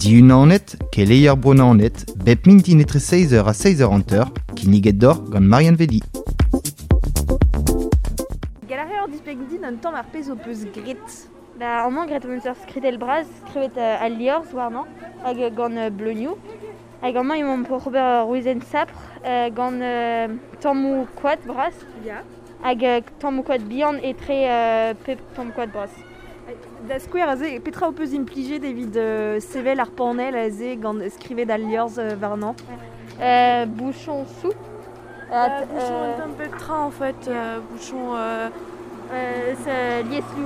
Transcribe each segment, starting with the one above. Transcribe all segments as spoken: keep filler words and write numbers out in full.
Diunanet, keleier Bro Naoned, bep mintin etre seiz eur ha seiz eur hanter, kinniget deoc'h gant Marianne Vedi. Gall a reor displeg din un tamm ar pezh ho peus graet. Ba, amañ graet hon eus ur skritell bras, skrivet uh, al liorzh warnañ, hag uh, gant uh, bleunioù. Hag amañ emaomp oc'h ober ur wezenn sapr uh, gant uh, tammoù koad bras. Ya. Hag uh, tammoù koad bihan etre uh, pep tamm koad bras. Da skouer aze, petra ho peus implijet evit euh, sevel ar panel aze gant skrivet al liorzh euh, warnañ? Euh, bouchon sou. Euh, bouchon un tamm pep tra en fait, euh, bouchon... Euh, euh, eus lieslou.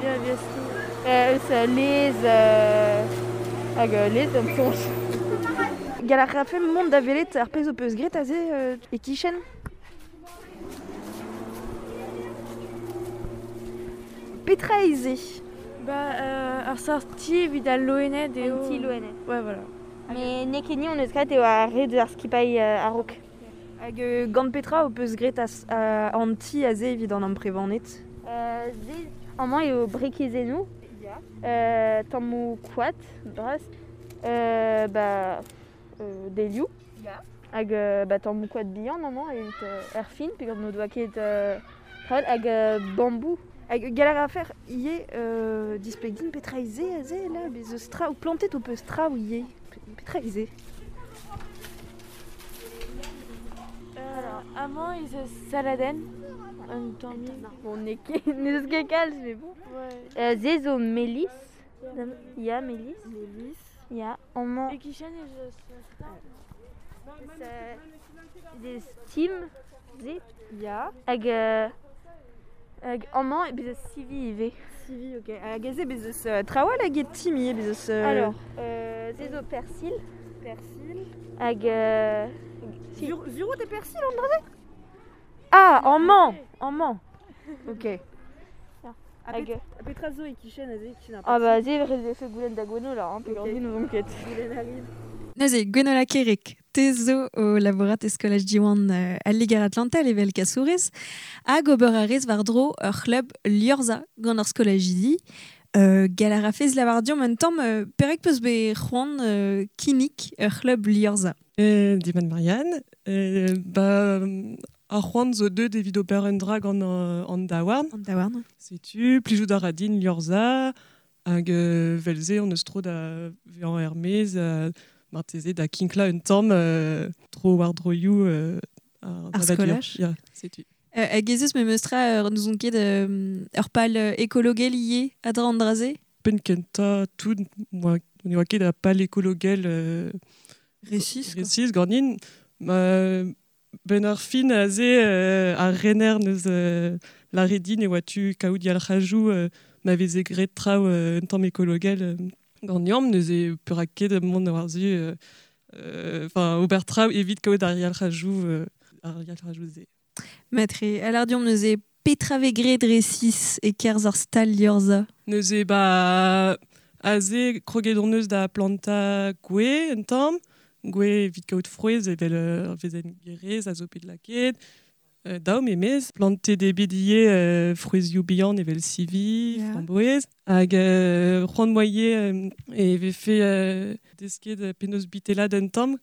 Ya, lieslou. Euh, eus lez... Euh, hag lez am soñj. Gall a rafe mont da welet ar pezh ho peus graet aze euh, e-kichen? Petra eo se? Ba, euh, ar sorti evit al loened eo... Un ti loened. Ouais, voilà. Mais n'eo ket ni hon eus graet eo ar re deus ar skipailh euh, a-raok. Hag euh, gant petra ho peus graet as, euh, an ti aze evit an amprevaned? Euh, ze, amañ eo brekezennoù. Ya. Euh, tammoù koad, bras. Euh, ba, euh, delioù. Ya. Hag euh, ba, tammoù koad bihan amañ evit euh, er fin, peogwir n'o doa ket euh, traoù, hag euh, bambou. Hag gall a rafer ivez euh, displeg din petra eo se aze là, bez eus traoù, plantet ho peus traoù ivez. Petra eo se? Euh, amañ ez eus saladenn, un tammig. Bon, n'eo ket, n'eus ket kalz, mais bon. Ouais. Euh, ze zo melis. Ya, melis. Melis. Ya, amañ... E-kichen ez eus... Euh, ze steam, ze. Ya. Hag... Euh, hag amañ bez eus sivi ivez. Sivi, ok. Hag aze bez eus euh, traoù all hag e tim ivez, bez eus... Euh... Alors, euh, ze zo persil. Persil. Hag... Euh, si. Zur, zuro de persil an dra-se? Ah, amañ, amañ. Ok. Ya. Ha Hag... pet- ha petra zo e-kichen aze, e-kichen ar Ah persil? ba, ze rez vefe goulenn da Gweno là, hein, peogwir Ok. din n'ouzon ket. Goulenn a rit. Neuze, Gwenola Kerek, te zo o labourat e skolaj Diwan euh, al Liger Atlantel evel kasourez, hag ober a rez war-dro ur c'hlub Liorzha gant ar skolajidi. Euh, gall a rafez lavar deomp un tamm euh, perek peus bet c'hoant euh, kinnig ur c'hlub Liorzha. Euh, Diman Marianne, euh, ba, ar c'hoant zo deut evit ober un dra gant euh, an daouarn. An daouarn. Setu, plijout a ra din Liorzha, hag euh, velze on eus tro da vezañ er-maez, euh, marteze da kinkla un tamm euh, tro war droioù euh, ar Ar savadur. skolaj. Ya, setu. Euh, hag ez eus memes tra ur n'ouzon ket euh, ur pal ekologel ivez a dra an dra-se? Penn kentañ tout, moi, ne oa ket a pal ekologel euh, Resis, quoi. resis ganin. Ma, ben ar fin aze euh, ar rener neus euh, lâret din e oa tu kaout yalc'hajoù euh, ma veze graet traoù euh, un tamm ekologel euh, ganeomp, neuze perak ket mont war-zu euh, euh, enfin, ober traoù evit kaout ar yalc'hajoù euh, ar yalc'hajoù-se. Matre, alar deomp neuze petra vez graet resis e-kerzh ar stal Liorzha? Neuze ba aze kroget hon eus da plantañ gwez un tamm, gwez evit kaout frouezh evel ur vezenn gerez a zo bet lakaet, euh, daou memez, plantet eo bet ivez euh, frouezhioù bihan evel sivi, Ya. framboez, hag euh, c'hoant 'moa ivez euh, e vefe euh, desket penaos bitellat un tamm,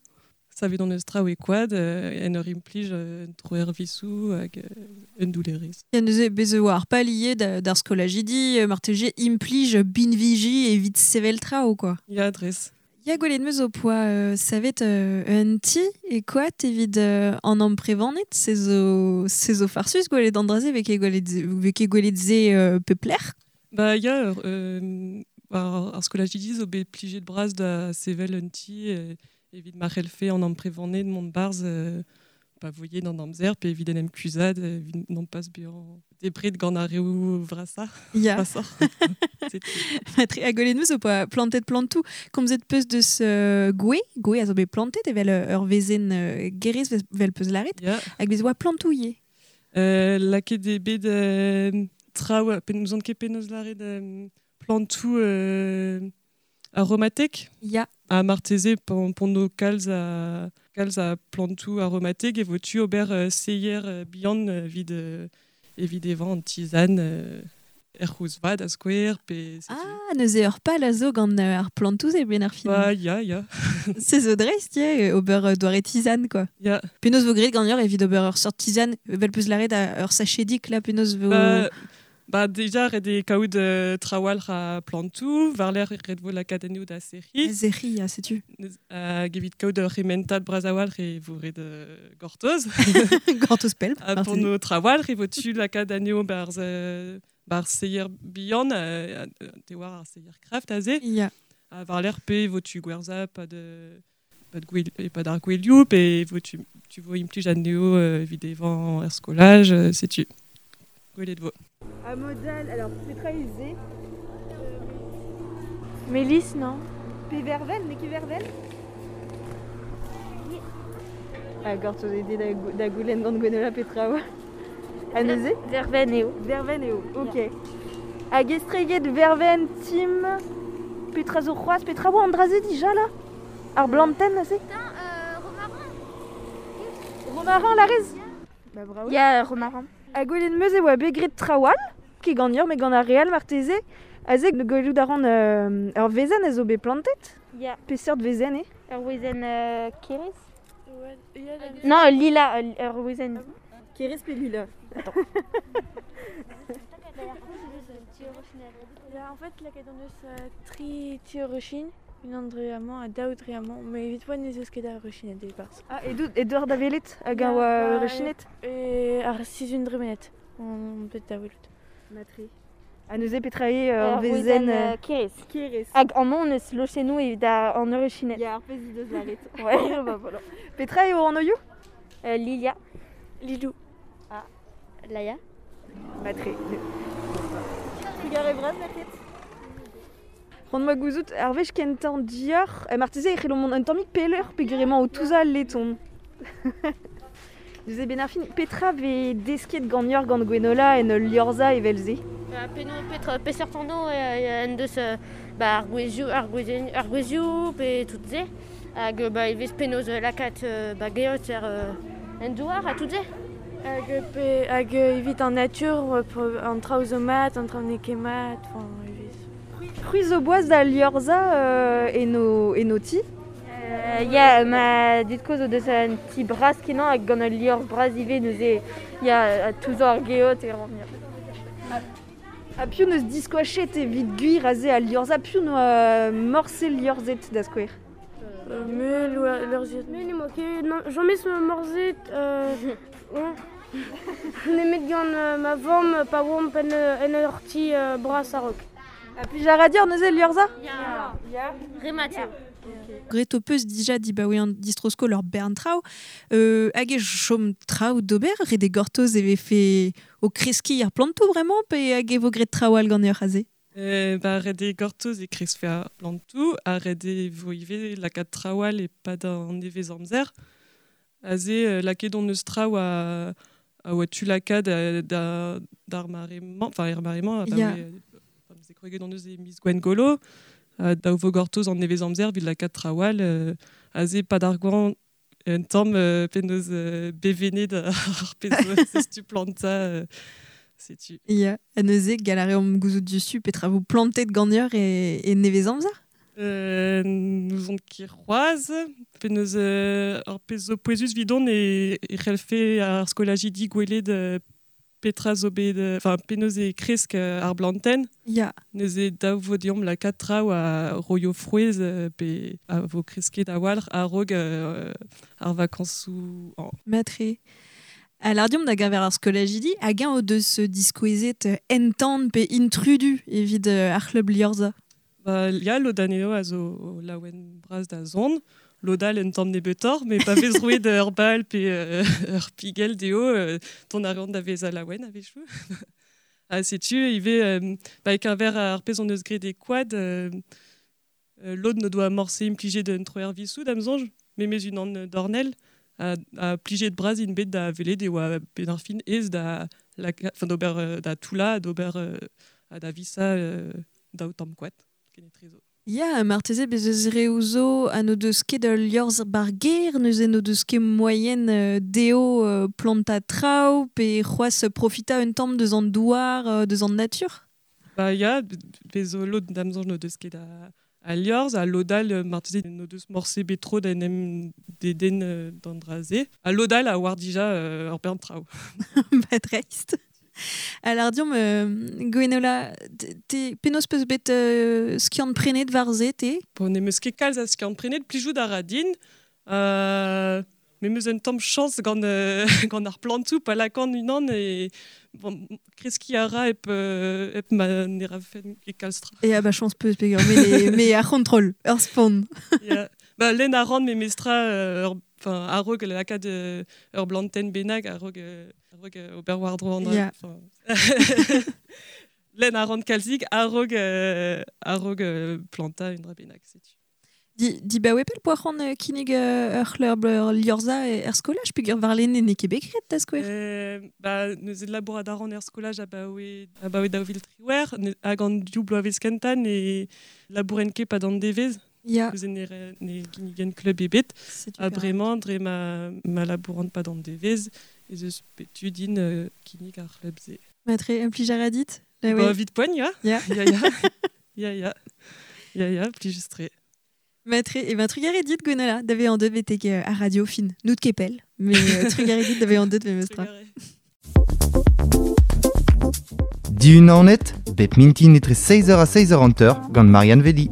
savet hon eus traoù e koad, euh, en ur implij euh, un troer visoù hag euh, un doulerez. Ya neuze bez e oa ar pal ivez da, d'ar skolajidi, euh, marteze implij binviji evit sevel traoù, quoi. Ya, dres. Ya gwelet 'm eus ho poa euh, savet euh, un ti e koad evit euh, an amprevaned, se zo, se zo farsus gwelet an dra-se vez ket gwelet, vez ket gwelet se euh, pep lec'h. Ba ya, euh, ar, ar skolajidi zo bet plijet bras da sevel un ti euh, evit ma c'hellfe an amprevaned mont barzh euh, pa voye d'an amzer, pe evit en em kuzhat, evit non pas bezañ debret gant ar reoù vrasañ. Ya. Vrasoc'h. Setu. Matre, ha gwelet 'm eus ho poa plantet plantoù, komzet peus deus euh, gwez, gwez a zo bet plantet evel ur vezenn euh, gerez vel peus lâret, Ya. hag bez oa plantoù ivez. Euh, lakaet eo bet euh, traoù, pe n'ouzon ket penaos lâret euh, plantoù euh, aromatek. Ya. Ha marteze pon, pon no kalz a, kalz a plantoù aromatek e vo tu ober euh, seier euh, bihan euh, evit, euh, evit evañ an tizan euh, er c'houz vad a skouer, pe... Ah, neuze ur pal a zo gant ar plantoù e ben ar fin. Ba, ya, ya. Se zo dreist, ya, ober doare tisane, quoi. Ya. Penaos vo graet gant ur evit ober ur sort tisane, vel peus laret a ur sachedik, là, penaos vo... Ba, ba déjà, ret e kaout euh, trawal a plantoù, war l'air ret vo lakaat anezho da serri. Serri, ya, setu. Hag evit kaout ur c'hementad bras a-walc'h e vo ret euh, gortoz. Gortoz pell. Ha pour no trawal, e vo tu lakaat anezho barz, euh, barz seier bihan, euh, te war ar seier kraft aze. Ya. Ha war l'air pe vo tu gwerza pa de... pa de gwel, pa d'ar gwelioù, pe vo tu, tu vo implij anezho euh, evit evañ er skolaj, euh, setu. Gwelet vo. A modal, alors Petra Izé. Mélisse, non? Pe verven, ne ket verven? Ah, gortoz eo da, da goulenn gant Gwenola Petra oa. A neuze? Verven eo. Verven eo, ok. Hag estreget verven, tim, Petra zo c'hoazh, Petra oa an draze dija là? Ar blantenn aze? Putain, euh, romarin. Romarin, la rez? Ba bravo. Ya, romarin. A gwelet meus e oa bet graet trawal, ket gant ur, met gant ar real marteze, aze gwelout a ran euh, ur vezenn a zo bet plantet. Ya. Peseurt vezenn eo? Ur wezenn euh, kerez? Ouais, ya, la... Non, lila, ur wezenn. Kerez pe lila? Attends. Ya, en fait, lakaet hon eus euh, tri ti urushin, unan dre amañ ha daou dre amañ, met evit poent ez eus ket a urushined e-barzh. Ah, edo, Edouard da welet hag a oa urushined? E ar sizhun dremenet, on bet da welout. Matre. Ha neuze petra eo ur Ur vezenn wezenn kerez. Kerez. Hag amañ on eus lochennoù evit an urushined. Ya, ar pezh he deus laret. Ouais, bah voilà. Petra eo an oioù? Euh, Lilia. Lilou. Ah. Laia. Matre. Trugarez bras, merc'hed. C'hoant ma gouzout, ar wech kentañ dior, e marteze e c'hello mont un tammig pelleur peogwir emañ o touzañ leton. Neuze ben ar fin, petra vez desket gant ur gant Gwenola en ul liorzha evel-se? Ba, penaos petra peseurt anv en deus ba, ar gwezioù, ar gwezenn, ar gwezioù pe tout se. Hag ba, e vez penaos lakaat ba, geot er en douar ha tout se. Hag, pe, hag evit an natur, an traoù zo mat, an traoù n'eo ket mat, enfin, evit. C'hwi zo boaz da liorzha euh, eno, eno ti? Euh, ya, ma dud-kozh o deus un ti bras kenañ hag gant ul liorzh bras ivez neuze ya, touzañ ar geot e ran. Ha piv neus diskoachet evit gwir aze al liorzha, piv noa morse liorzhet da skouer? Euh, me leurzhet. Me n'emañ ket, non, james me morzet, euh, on. Nemet gant euh, ma vamm pa oamp en, en ur ti euh, bras a-raok. Ha plij a ra dir neuze liorzha? Ya. Ya. Remat eo. Graet ho peus dija dibaoe an distroskol ur bern traoù, euh, hag e chom traoù d'ober, ret e gortoz e vefe o kreskiñ ar plantoù bremañ, pe hag e vo graet traoù all gant ur aze? Euh, ba, ret e gortoz e kreske ar plantoù, ha ret e vo ivez lakaat traoù all e-pad an nevez amzer. Aze, euh, lakaet hon eus traoù a, a oa tu lakaat da, d'ar mare-mañ, enfin er mare-mañ, ba, Ya. oe, ze kroget hon eus e miz Gwengolo, uh, daou vo gortoz an nevez amzer evit lakaat traoù all, euh, aze pad ar goañv un tamm euh, penaos euh, bevenet ar pezh zo planta, euh, setu. Ya, ha neuze gall a reomp gouzout diouzhtu petra vo plantet gant ur e, e nevez amzer? Euh, nous on ket c'hoazh, penaos euh, ar pezh zo pouezus 'vidon e, e c'hellfe ar skolajidi gwelet euh, petra zo bet, enfin, penaos e kresk ar blantenn. Ya. Neuze daou vo deomp lakaat traoù a roio frouezh pe a vo kresket a-walc'h a-raok euh, ar vakañsoù an. Matre. A l'ardiom da gaver ar skolajidi, hag eñ o deus diskouezet entan pe intrudu evit ar c'hlub liorzha? Ba, ya, lod anezho a zo laouen bras da zont, lod all un tamm nebeutoc'h, met pa vez roet ur bal pe euh, ur pigell dezho, euh, ton a reont da vezañ laouen a-wechoù. Ha setu ivez, euh, ba, e-keñver ar pezh hon eus graet e koad, euh, lod n'o doa morse implijet un troer visoù da'm soñj, memes unan dornell, a, a plijet bras int bet da welet e oa bet ar fin aes da, laka, enfin, d'ober da toullañ, d'ober ha da visañ euh, daou tamm koad. Kenetre zo. Ya, marteze bez eus reoù zo ha n'o deus ket ul liorzh bar gêr, neuze n'o deus ket moaien dezho euh, plantañ traoù pe c'hoazh profitañ un tamm deus an douar, deus an natur? Ba ya, bezo lod damzanj no deus ket a, a liorz, a lodal marteze no deus morse betro da en deden d'an draze. A lodal a war dija euh, ur bern traoù. Ba dreist. Alors diom, euh, Gwenola, te penaos peus bet euh, skiant prenet war ze, te? Bon, ne meus ket kalz a skiant prenet, plijout a ra din. Euh, me meus un tamm chañs gant, euh, gant ar plantoù pa lakan unan e bon, kreski a ra ep, euh, ep ma ne ra fen e kalz tra. E a ba chañs peus peogwir, me, me ar c'hontrol, ur spont. Ya. Ba, len a ran me mestra euh, ur, enfin, a-raok lakaat euh, ur blantenn bennak, a-raok euh, a-raok euh, ober war-dro an dra. Ya. Enfin, len a ran kalzik a-raok euh, a-raok euh, planta un dra bennak, setu. Di, di ba wepel poa c'hoant euh, kinnig euh, ur c'hlub ur liorza e er skolaj, peogwir warlene n'eo ket bet graet da skouer. Euh, ba, neuze labourat a ran er skolaj abaoe, abaoe daou vil triwec'h, ne, hag an div bloavezh kentañ ne labouren ket pad an devezh. Ya. Neuze ne, re, ne ginnigen klub ebet. Setu Ha perak. bremañ dre ma, ma labourant pad an devezh, ez eus bet tu din euh, kinnig ar c'hlub se. Matre, un plij a ra dit? La Ba, ouais. vit poagn, ya. Ya. Ya, ya. Ya, ya. Ya, ya, plijus-tre. Matre, e ben trugarez dit Gwenola, da vezañ deut betek euh, ar radio fin. Nout ket pell, mais euh, trugarez dit da vezañ deut memestra. Trugarez. Dihun an net, bep mintin etre seizh eur ha seizh eur hanter gant Marianne Vedi.